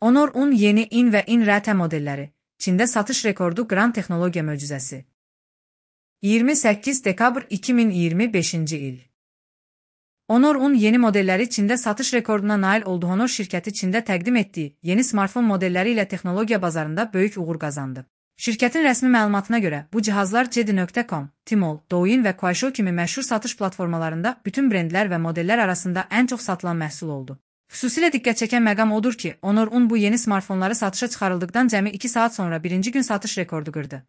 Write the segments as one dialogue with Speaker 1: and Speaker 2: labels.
Speaker 1: Honor 10 yeni in və in-RT modelləri. Çində satış rekordu Grand Texnologiya möcüzəsi. 28 dekabr 2025-ci il. Honor 10 yeni modelləri Çində satış rekorduna nail oldu. Honor şirkəti Çində təqdim etdiyi yeni smartfon modelləri ilə texnologiya bazarında böyük uğur qazandı. Şirkətin rəsmi məlumatına görə bu cihazlar JD.com, Tmall, Douyin və Kuaishou kimi məşhur satış platformalarında bütün brendlər və modellər arasında ən çox satılan məhsul oldu. Xüsusilə diqqət çəkən məqam odur ki, Honor 10 bu yeni smartfonları satışa çıxarıldıqdan cəmi 2 saat sonra birinci gün satış rekordu qırdı.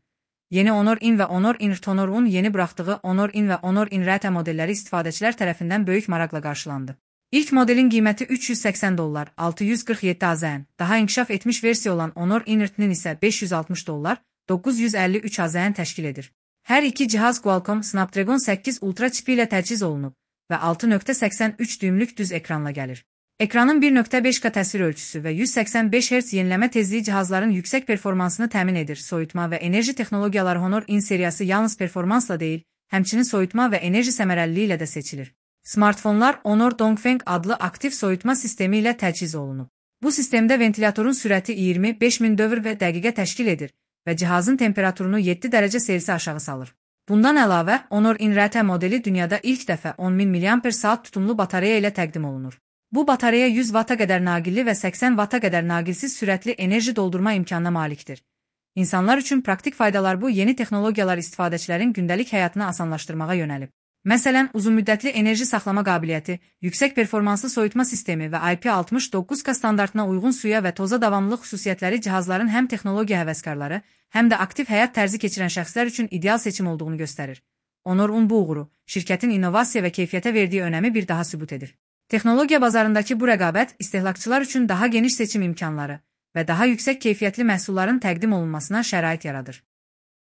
Speaker 1: Yeni Honor in və Honor in-RT Honor 10 yeni buraxdığı Honor in və Honor in-RT modelləri istifadəçilər tərəfindən böyük maraqla qarşılandı. İlk modelin qiyməti $380, 647 AZN, daha inkişaf etmiş versiya olan Honor in-RT-nin isə $560, 953 AZN təşkil edir. Hər iki cihaz Qualcomm Snapdragon 8 Ultra çipi ilə təchiz olunub və 6.83 düymlük düz ekranla gəlir. Ekranın 1.5K təsvir ölçüsü və 185 Hz yenilənmə tezliyi cihazların yüksək performansını təmin edir. Soyutma və enerji texnologiyaları Honor in seriyası yalnız performansla deyil, həmçinin soyutma və enerji səmərəliliyi ilə də seçilir. Smartfonlar Honor Dongfeng adlı aktiv soyutma sistemi ilə təchiz olunub. Bu sistemdə ventilatorun sürəti 25.000 dövr və dəqiqə təşkil edir və cihazın temperaturunu 7 dərəcə Selsi aşağı salır. Bundan əlavə, Honor in-RT modeli dünyada ilk dəfə 10.000 mAh tutumlu batareya ilə təqdim olunur. Bu batareya 100 Vata qədər naqilli və 80 Vata qədər naqilsiz sürətli enerji doldurma imkanına malikdir. İnsanlar üçün praktik faydalar bu yeni texnologiyalar istifadəçilərin gündəlik həyatını asanlaşdırmağa yönəlib. Məsələn, uzunmüddətli enerji saxlama qabiliyyəti, yüksək performanslı soyutma sistemi və IP69K standartına uyğun suya və toza davamlılıq xüsusiyyətləri cihazların həm texnologiya həvəskarları, həm də aktiv həyat tərzi keçirən şəxslər üçün ideal seçim olduğunu göstərir. Honor 10 bu uğuru, şirkətin innovasiya və keyfiyyətə verdiyi önəmi bir daha sübut edir. Texnologiya bazarındakı bu rəqabət istehlakçılar üçün daha geniş seçim imkanları və daha yüksək keyfiyyətli məhsulların təqdim olunmasına şərait yaradır.